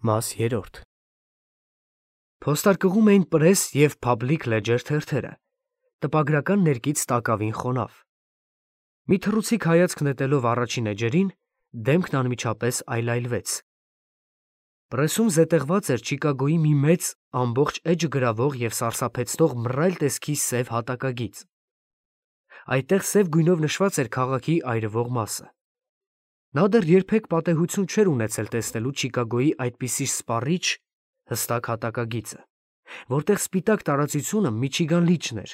Մաս 3 Փոստարկղում էին Press և Public Ledger թերթերը, տպագրական ներկից տակավին խոնավ։ Մի թռուցիկ հայացք նետելով առաջին էջերին, դեմքն անմիջապես այլայլվեց։ Press-ում զետեղված էր Չիկագոյի մի մեծ, ամբողջ էջը գրավող և սարսափեցնող մռայլ տեսքի սև հատակագիծ։ Այդտեղ սև գույնով նշված էր քաղաքի այրվող մասը։ Նա դեռ երբեք պատեհություն չէր ունեցել տեսնելու Չիկագոյի այդպիսի սպառիչ, հստակ հատակագիծը, որտեղ սպիտակ տարածությունը Միչիգան լիճն էր։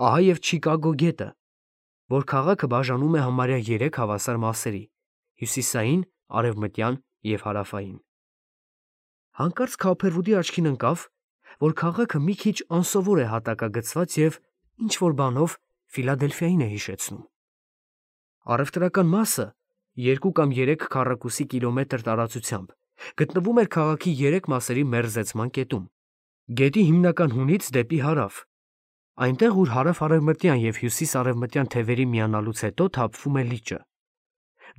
Ահա և Չիկագո գետը, որ քաղաքը բաժանում է համարյա 3 հավասար մասերի՝ հյուսիսային, արևմտյան և հարավային։ Հանկարծ Քոուփերվուդի աչքին ընկավ, որ քաղաքը մի քիչ անսովոր է հատակագծված և ինչ-որ բանով Ֆիլադելֆիային է հիշեցնում։ Առևտրական մասը 2 կամ 3 քառակուսի կիլոմետր տարածությամբ գտնվում էր քաղաքի 3 մասերի մերձեցման կետում, գետի հիմնական հունից դեպի հարավ, այնտեղ, ուր հարավ-արևմտյան և հյուսիս-արևմտյան թևերի միանալուց հետո թափվում է լիճը։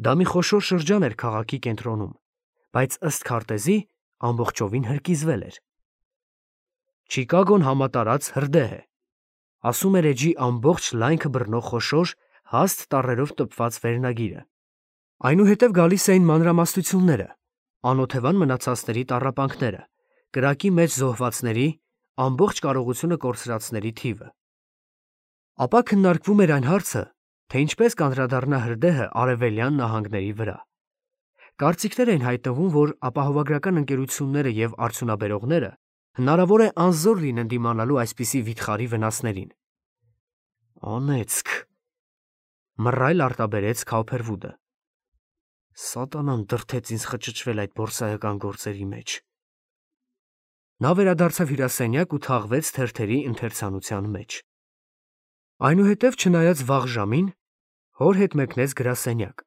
Դա մի խոշոր շրջան էր քաղաքի կենտրոնում, բայց ըստ քարտեզի ամբողջովին հրկիզվել էր։ Չիկագոն համատարած հրդեհ է, ասում էր էջի ամբողջ լայնքը բռնող խոշոր, հաստ տառերով տպված վերնագիրը։ Այնուհետև գալիս էին մանրամասնությունները, անօթևան մնացածների տառապանքները, կրակի մեջ զոհվածների, ամբողջ կարողությունը կորցրածների թիվը։ Ապա քննարկվում էր այն հարցը, թե ինչպես կանդրադառնա հրդեհը արևելյան նահանգների վրա։ Կարծիքներ էին հայտնվում, որ ապահովագրական ընկերությունները և արդյունաբերողները հնարավոր է անզոր լինեն դիմանալու այսպիսի վիթխարի վնասներին։ Անեծք, մռայլ արտաբերեց Քոուփերվուդը։ Սատանան դրդեց ինձ խճճվել այդ բորսայական գործերի մեջ։ Նա վերադարձավ հյուրասենյակ ու թաղվեց թերթերի ընթերցանության մեջ։ Այնուհետև, չնայած վաղ ժամին, հոր հետ մեկնեց գրասենյակ։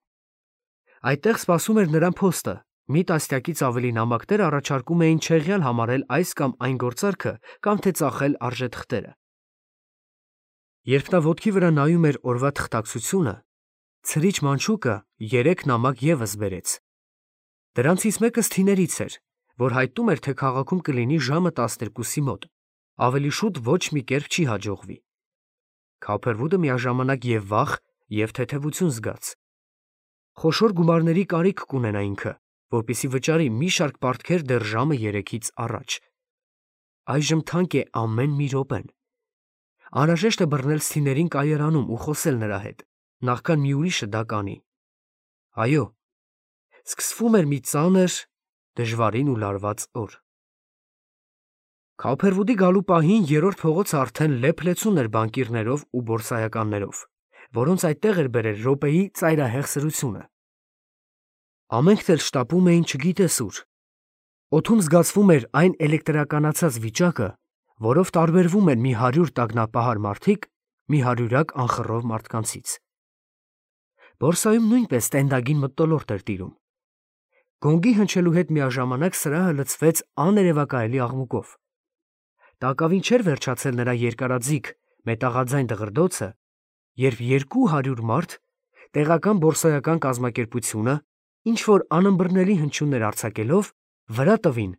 Այդտեղ սպասում էր նրան փոստը, մի տասնյակից ավելի նամակներ առաջարկում էին չեղյալ համարել այս կամ այն գործարքը կամ թե ծախել արժեթղթերը։ Երբ նա ոտքի վրա նայում էր օրվա թղթակցությունը, ցրիչ մանչուկը 3 նամակ ևս բերեց։ Դրանցից մեկը Սթիներից էր, որ հայտնում էր, թե քաղաքում կլինի ժամը 12-ի մոտ, ավելի շուտ ոչ մի կերպ չի հաջողվի։ Քոուփերվուդը միաժամանակ և վախ, և թեթևություն զգաց։ Խոշոր գումարների կարիք կունենա ինքը, որպեսզի վճարի մի շարք պարտքեր դեռ ժամը 3-ից առաջ։ Այժմ թանկ է ամեն մի րոպեն։ Անհրաժեշտ է բռնել Սթիներին կայարանում ու խոսել նրա հետ, նախքան մի ուրիշը դա կանի։ Այո, սկսվում էր մի ծանր, դժվարին ու լարված օր։ Քոուփերվուդի գալու պահին 3-րդ փողոցը արդեն լեփ-լեցուն էր բանկիրներով ու բորսայականներով, որոնց այդտեղ էր բերել րոպեի ծայրահեղ սրությունը։ Ամենքն էլ շտապում էին չգիտես ուր։ Օդում զգացվում էր այն էլեկտրականացած վիճակը, որով տարբերվում են մի 100 տագնապահար մարդիկ մի հարյուրակ անխռով մարդկանցից։ Բորսայում նույնպես տենդագին մթնոլորտ էր տիրում։ Գոնգի հնչելու հետ միաժամանակ սրահը լցվեց աներևակայելի աղմուկով։ Տակավին չէր վերջացել նրա երկարաձիգ, մետաղաձայն դղրդոցը, երբ 200 մարդ, տեղական բորսայական կազմակերպությունը, ինչ-որ անըմբռնելի հնչյուններ արձակելով, վրա տվին,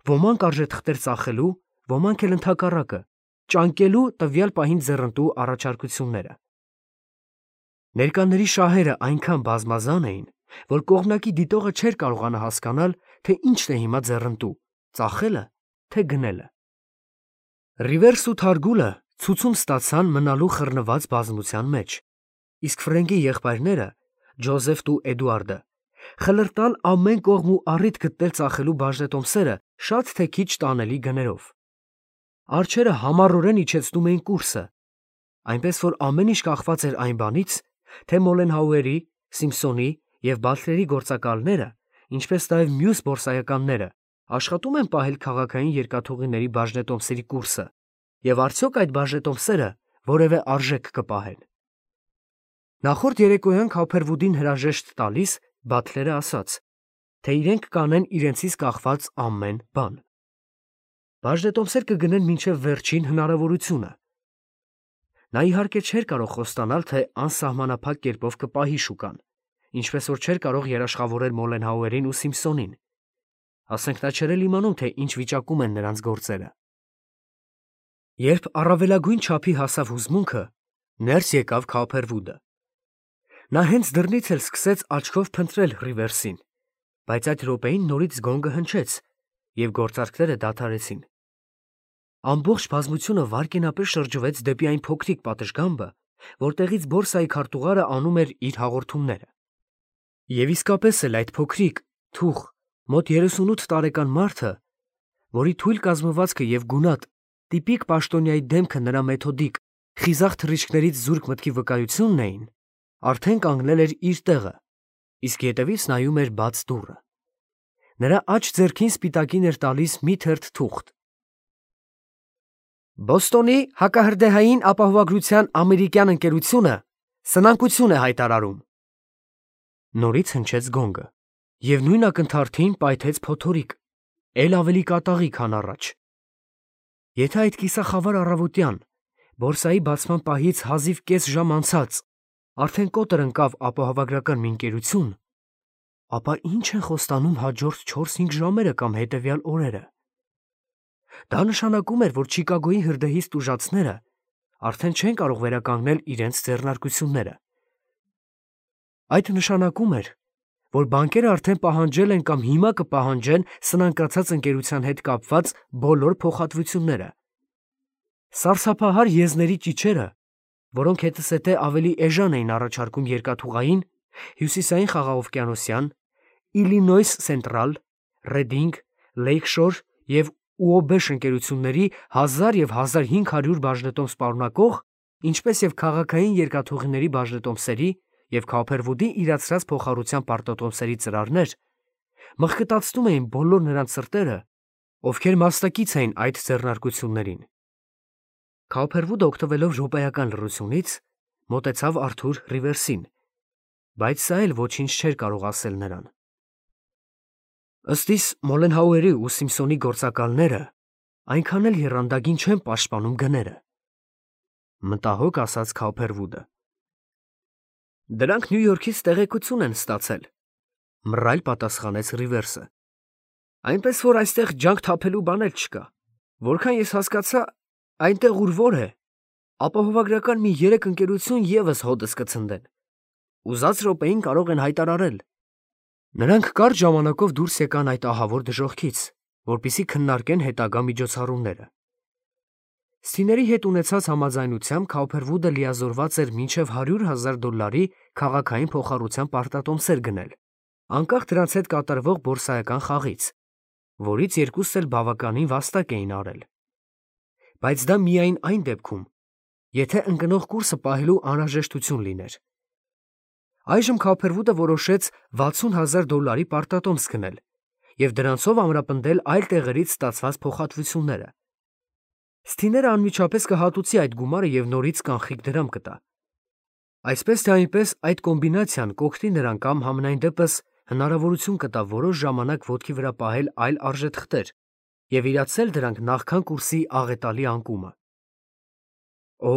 ոմանք արժեթղթեր ծախելու, ոմանք էլ ընդհակառակը, ճանկելու տվյալ պահին ձեռնտու առաջարկությունները։ Ներկաների շահերը այնքան բազմազան էին, որ կողմնակի դիտողը չէր կարողանա հասկանալ, թե ինչն է հիմա ձեռնտու՝ ծախելը, թե գնելը։ Ռիվերսն ու Թարգուլը ցուցում ստացան մնալու խռնված բազմության մեջ, իսկ Ֆրենկի եղբայրները՝ Ջոզեֆն ու Էդուարդը, խլրտալ ամեն կողմ ու առիթ գտնել ծախելու բաժնետոմսերը շատ թե քիչ տանելի գներով։ Արջերը համառորեն իջեցնում էին կուրսը, այնպես որ ամեն ինչ կախված էր այն բանից, թե Մոլենհաուերի, Սիմփսոնի և Բաթլերի գործակալները, ինչպես նաև մյուս բորսայականները, աշխատում են պահել քաղաքային երկաթուղիների բաժնետոմսերի կուրսը, և արդյոք այդ բաժնետոմսերը որևէ արժեք կպահեն։ Նախորդ երեկոյան Քոուփերվուդին հրաժեշտ տալիս Բաթլերը ասաց, թե իրենք կանեն իրենցից կախված ամեն բան։ Բաժնետոմսեր կգնեն մինչև վերջին հնարավորությունը։ Նա իհարկե չէր կարող խոստանալ, թե անսահմանափակ կերպով կպահի շուկան, ինչպես որ չէր կարող երաշխավորել Մոլենհաուերին ու Սիմփսոնին։ ասենք նա չէր էլ իմանում, թե ինչ վիճակում են նրանց գործերը։ Երբ առավելագույն չափի հասավ հուզմունքը, ներս եկավ Քոփերվուդը։ Նա հենց դռնից էլ սկսեց աչքով փնտրել Ռիվերսին, բայց այդ րոպեին նորից գոնգը հնչեց, և գործարքները դադարեցին։ Ամբողջ բազմությունը վայրկենապես շրջվեց դեպի այն փոքրիկ պատշգամբը, որտեղից բորսայի քարտուղարը անում էր իր հաղորդումները։ Եվ իսկապես էլ այդ փոքրիկ, թուխ, մոտ 38 տարեկան մարդը, որի թույլ կազմվածքը և գունատ, տիպիկ պաշտոնյայի դեմքը նրա մեթոդիկ, խիզախ թռիչքներից զուրկ մտքի վկայությունն էին, արդեն կանգնել էր իր տեղը, իսկ ետևից նայում էր բաց դուռը։ Նրա աջ ձեռքին սպիտակին էր տալիս մի թերթ թուղթ։ Բոստոնի հակահրդեհային ապահովագրության ամերիկյան ընկերությունը սնանկություն է հայտարարում։ Նորից հնչեց գոնգը, և նույն ակնթարթին պայթեց փոթորիկ, էլ ավելի կատաղի, քան առաջ։ Եթե այդ կիսախավար առավոտյան, բորսայի բացման պահից հազիվ կես ժամ անցած, արդեն կոտր ընկավ ապահովագրական մի ընկերություն, ապա ինչ են խոստանում հաջորդ 4-5 ժամերը կամ հետևյալ օրերը։ Դա նշանակում էր, որ Չիկագոյի հրդեհի ստուժածները արդեն չեն կարող վերականգնել իրենց ձեռնարկությունները։ Այդ նշանակում էր, որ բանկերը արդեն պահանջել են կամ հիմա կպահանջեն սնանկացած ընկերության հետ կապված բոլոր փոխհատվությունները։ Սարսափահար եզների ճիչերը, որոնք հետզհետե ավելի էժան էին առաջարկում երկաթուղային, հյուսիսային խաղաղօվկիանոսյան, Իլինոյս Սենտրալ, Ռեդինգ, Լեյքշոր և Ուոբեշ ընկերությունների 1000 և 1500 բաժնետոմս պարունակող, ինչպես և քաղաքային երկաթուղիների բաժնետոմսերի և Քոփերվուդի իրացրած փոխառության պարտատոմսերի ծրարներ, մխկտացնում էին բոլոր նրանց սրտերը, ովքեր մասնակից էին այդ ձեռնարկություններին։ Քոփերվուդը, օգտվելով րոպեական լռությունից, մոտեցավ Արթուր Ռիվերսին, բայց սա էլ ոչինչ չէր կարող ասել նրան։ Ըստ իս Մոլենհաուերի ու Սիմփսոնի գործակալները այնքան էլ եռանդագին չեն պաշտպանում գները, մտահոգ ասաց Քոփերվուդը։ Դրանք Նյու Յորքից տեղեկություն են ստացել, մռայլ պատասխանեց Ռիվերսը։ Այնպես որ այստեղ ջանք թափելու բան էլ չկա։ Որքան ես հասկացա, այնտեղ ուր որ է, ապահովագրական մի 3 ընկերություն ևս հոդս կցնդեն։ Ուզած րոպեին կարող են հայտարարել։ Նրանք կարճ ժամանակով դուրս եկան այդ ահավոր դժոխքից, որպեսզի քննարկեն հետագա միջոցառումները։ Սթիների հետ ունեցած համաձայնությամբ Քոփերվուդը լիազորված էր մինչև $100,000 քաղաքային փոխառության պարտատոմսեր գնել, անկախ դրանց հետ կատարվող բորսայական խաղից, որից երկուսն էլ բավականին վաստակ էին արել։ Բայց դա միայն այն դեպքում, եթե ընկնող կուրսը պահելու անհրաժեշտություն լիներ։ Այժմ Քոփերվուդը որոշեց $60,000 պարտատոմս գնել և դրանցով ամրապնդել այլ տեղերից ստացված փոխհատվությունները։ Սթիները անմիջապես կհատուցի այդ գումարը և նորից կանխիկ դրամ կտա։ Այսպես թե այնպես այդ կոմբինացիան կօգնի նրան կամ համենայն դեպս հնարավորություն կտա որոշ ժամանակ ոտքի վրա պահել այլ արժեթղթեր և իրացնել դրանք նախքան կուրսի աղետալի անկումը։ Օ,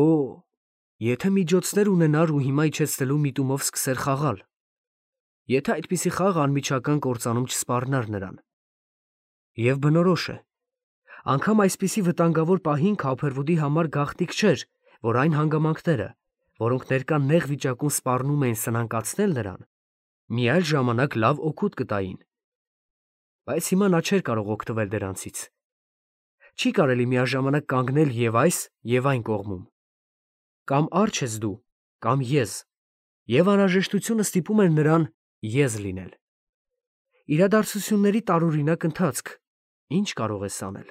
եթե միջոցներ ունենար ու հիմա իջեցնելու միտումով սկսեր խաղալ։ Եթե այդպիսի խաղ անմիջական կործանում չսպառնար նրան։ Եվ բնորոշ է, անգամ այսպիսի վտանգավոր պահին Քոփերվուդի համար գաղտնիք չէր, որ այն հանգամանքները, որոնք ներկա նեղ վիճակում սպառնում էին սնանկացնել նրան, մի այլ ժամանակ լավ օգուտ կտային։ Բայց հիմա նա չէր կարող օգտվել դրանցից։ Չի կարելի միաժամանակ կանգնել և այս, և այն կողմում։ Կամ առջ ես դու, կամ ես, և անհրաժեշտությունը ստիպում էր նրան ես լինել։ Իրադարձությունների տարօրինակ ընթացք, ինչ կարող ես անել։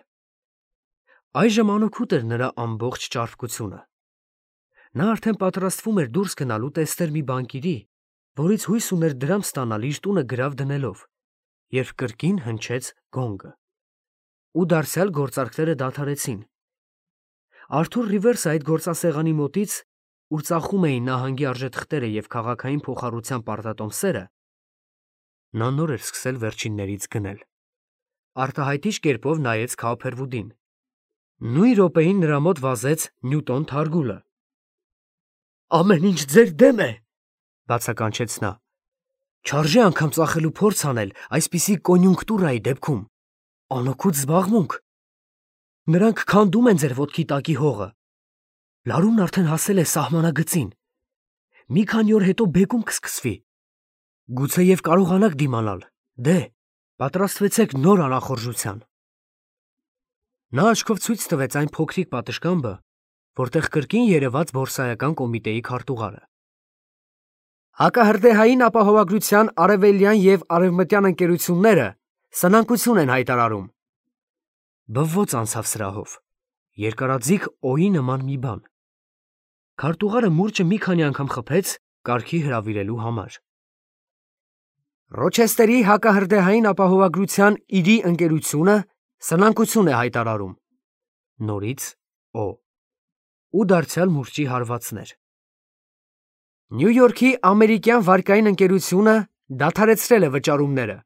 Այժմ անօգուտ էր նրա ամբողջ ճարպկությունը։ Նա արդեն պատրաստվում էր դուրս գնալու տեսնել մի բանկիրի, որից հույս ուներ դրամ ստանալ իր տունը գրավ դնելով, երբ կրկին հնչեց գոնգը։ Ու դարձյալ գործարքները դադարեցին։ Արթուր Ռիվերսը այդ գործասեղանի մոտից, ուր ծախում էին նահանգի արժեթղթերը և քաղաքային փոխառության պարտատոմսերը, նա նոր էր սկսել վերջիններից գնել։ Արտահայտիչ կերպով նայեց Քոփերվուդին։ Նույն րոպեին նրա մոտ վազեց Նյուտոն Թարգուլը։ Ամեն ինչ ձեր դեմ է, բացականչեց նա։ Չարժե անգամ ծախելու փորձ անել այսպիսի կոնյունկտուրայի դեպքում։ Անօգուտ զբաղմունք։ Նրանք քանդում են ձեր ոտքի տակի հողը։ Լարումն արդեն հասել է սահմանագծին։ Մի քանի օր հետո բեկում կսկսվի։ Գուցեև կարողանաք դիմանալ։ Դե, պատրաստվեցեք նոր անախորժության։ Նա աչքով ցույց տվեց այն փոքրիկ պատշգամբը, որտեղ կրկին երևաց բորսայական կոմիտեի քարտուղարը։ Հակահրդեհային ապահովագրության արևելյան և արևմտյան ընկերությունները սնանկություն են հայտարարում։ Բվոց անցավ սրահով։ Երկարաձիգ օի նման մի բան։ Քարտուղարը մուրճը մի քանի անգամ խփեց կարգի հրավիրելու համար։ Ռոչեստերի հակահրդեհային ապահովագրության իրի ընկերությունը սնանկություն է հայտարարում։ Նորից օ։ Ու դարձյալ մուրճի հարվածներ։ Նյու Յորքի ամերիկյան վարկային ընկերությունը դադարեցրել է վճարումները։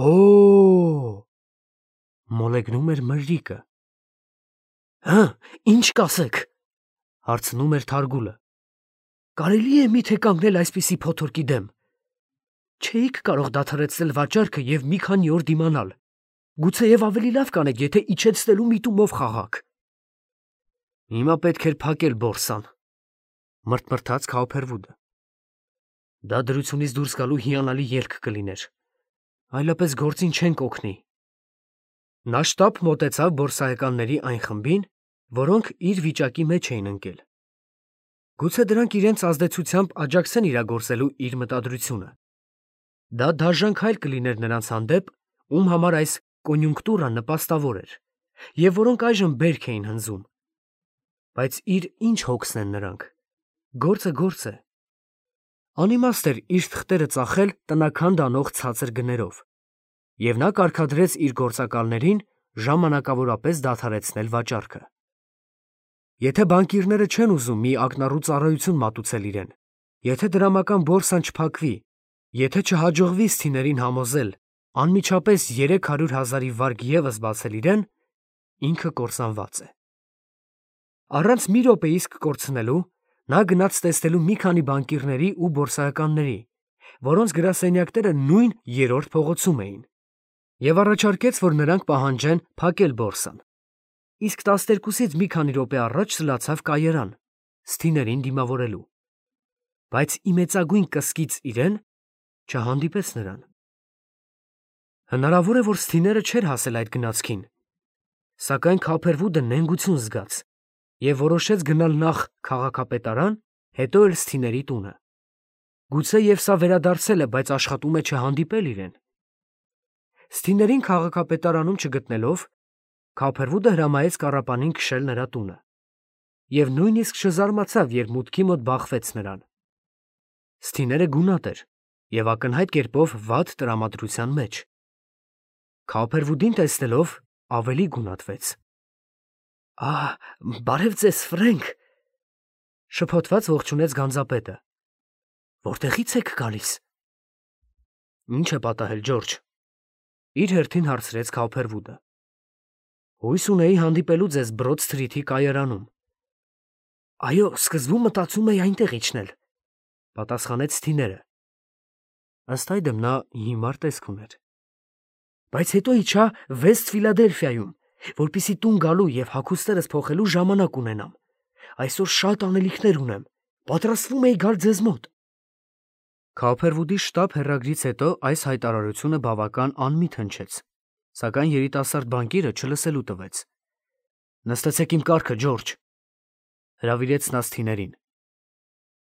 Օ։ Մոլեգնում էր մրրիկը։ Հը, ինչ կասեք, հարցնում էր Թարգուլը։ Կարելի է միթե կանգնել այսպիսի փոթորկի դեմ։ Չէիք կարող դադարեցնել վաճառքը և մի քանի օր դիմանալ։ Գուցեև ավելի լավ կանեք, եթե իջեցնելու միտումով խաղաք։ Հիմա պետք էր փակել բորսան, մրթմրթաց Քաուփերվուդը։ Դա դրությունից դուրս գալու հիանալի ելք կլիներ։ Այլապես գործին չենք օգնի։ Նա շտապ մոտեցավ բորսայականների այն խմբին, որոնք իր վիճակի մեջ էին ընկել։ Գուցե դրանք իրենց ազդեցությամբ աջակցեն իրագործելու իր մտադրությունը։ Դա դաժան քայլ կլիներ նրանց հանդեպ, ում համար այս կոնյունկտուրան նպաստավոր էր, և որոնք այժմ բերք էին հնձում։ Բայց իր ինչ հոգսն են նրանք։ Գործը գործ է։ Անիմաստ էր իր թղթերը ծախել տնաքան դանող ցածր գներով, և նա կարգադրեց իր գործակալներին ժամանակավորապես դադարեցնել վաճառքը։ Եթե բանկիրները չեն ուզում մի ակնառու ծառայություն մատուցել իրեն, եթե դրամական բորսան չփակվի, եթե չհաջողվի սթիներին համոզել անմիջապես 300,000-ի վարկ ևս բացել իրեն, ինքը կործանված է։ Առանց մի րոպե իսկ կորցնելու, նա գնաց տեսնելու մի քանի բանկիրների ու բորսայականների, որոնց գրասենյակները նույն երրորդ փողոցում էին, և առաջարկեց, որ նրանք պահանջեն փակել բորսան։ Իսկ 12-ից մի քանի րոպե առաջ սլացավ կայարան, սթիներին դիմավորելու։ Բայց իմեցագույն կսկից իրեն չհանդիպեց նրան։ Հնարավոր է, որ սթիները չէր հասել այդ գնացքին, սակայն Քափերվուդը նենգություն զգաց և որոշեց գնալ նախ քաղաքապետարան, հետո էլ սթիների տունը։ Գուցեև սա վերադարձել է, բայց աշխատում է չհանդիպել իրեն։ Սթիներին քաղաքապետարանում չգտնելով, Քափերվուդը հրամայեց կառապանին քշել նրա տունը, և նույնիսկ չզարմացավ, երբ մուտքի մոտ բախվեց նրան։ Սթիները գունատ էր և ակնհայտ կերպով վատ տրամադրության մեջ։ Քափերվուդին տեսնելով ավելի գունատվեց։ Բարև ձեզ, Ֆրենք, շփոթված ողջունեց գանձապետը։ Որտեղի՞ց եք գալիս։ Ինչ է պատահել, Ջորջ, իր հերթին հարցրեց Քափերվուդը։ Հույս ունեի հանդիպելու ձեզ Բրոդ Սթրիթի կայարանում։ Այո, սկզբում մտածում էի այնտեղ իջնել, պատասխանեց Սթիները։ Ըստ այդմ նա հիմար տեսք ուներ։ Բայց հետո իջա Վեստ Ֆիլադելֆիայում, որպեսզի տուն գալու և հագուստներս փոխելու ժամանակ ունենամ։ Այսօր շատ անելիքներ ունեմ, պատրաստվում էի գալ ձեզ մոտ։ Քափերվուդի շտապ հեռագրից հետո այս հայտարարությունը բավական անմիտ հնչեց, սակայն երիտասարդ բանկիրը չլսելու տվեց։ Նստեցեք իմ կառքը, Ջորջ, հրավիրեց նա Սթիներին։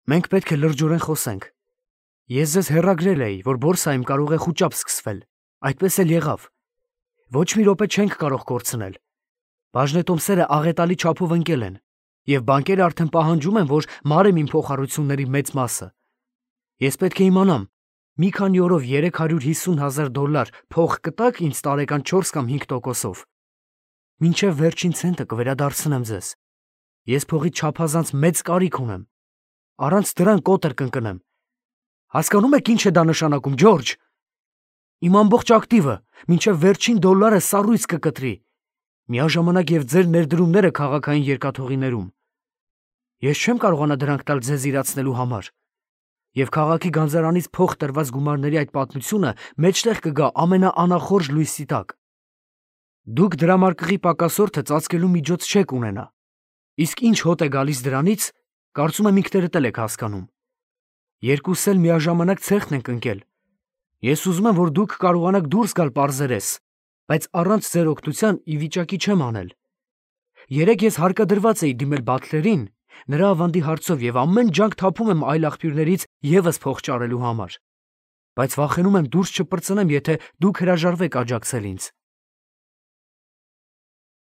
Մենք պետք է լրջորեն խոսենք։ Ես ձեզ հեռագրել էի, որ բորսայում կարող է խուճապ սկսվել, այդպես էլ եղավ։ Ոչ մի րոպե չենք կարող կորցնել։ Բաժնետոմսերը աղետալի չափով ընկել են, և բանկերը արդեն պահանջում են, որ մարեմ իմ փոխառությունների մեծ մասը։ Ես պետք է իմանամ, մի քանի օրով $350,000 փող կտաք ինձ տարեկան 4 կամ 5%-ով։ Մինչև վերջին ցենտը կվերադարձնեմ ձեզ։ Ես փողից չափազանց մեծ կարիք ունեմ։ Առանց դրան կոտր կընկնեմ։ Հասկանում եք ինչ է դա նշանակում, Ջորջ։ Իմ ամբողջ ակտիվը մինչև վերջին դոլարը սառույց կկտրի, միաժամանակ և ձեր ներդրումները քաղաքային երկաթուղիներում։ Ես չեմ կարողանա դրանք տալ ձեզ իրացնելու համար։ Եվ քաղաքի գանձարանից փող տրված գումարների այդ պատմությունը մեջտեղ կգա ամենաանախորժ լույսի տակ։ Դուք դրամարկղի պակասորդը ծածկելու միջոց չեք ունենա, իսկ ինչ հոտ է գալիս դրանից, կարծում եմ ինքներդ էլ եք հասկանում։ Երկուս էլ միաժամանակ ցեղն ենք ընկել։ Ես ուզում եմ, որ դուք կարողանաք դուրս գալ պարզերես, բայց առանց ձեր օգնության ի վիճակի չեմ անել։ Երեկ ես հարկադրված էի դիմել Բաթլերին, նրա ավանդի հարցով և ամեն ջանք թափում եմ այլ աղբյուրներից ևս փող ճարելու համար, բայց վախենում եմ դուրս չպրծնեմ, եթե դուք հրաժարվեք աջակցել ինձ։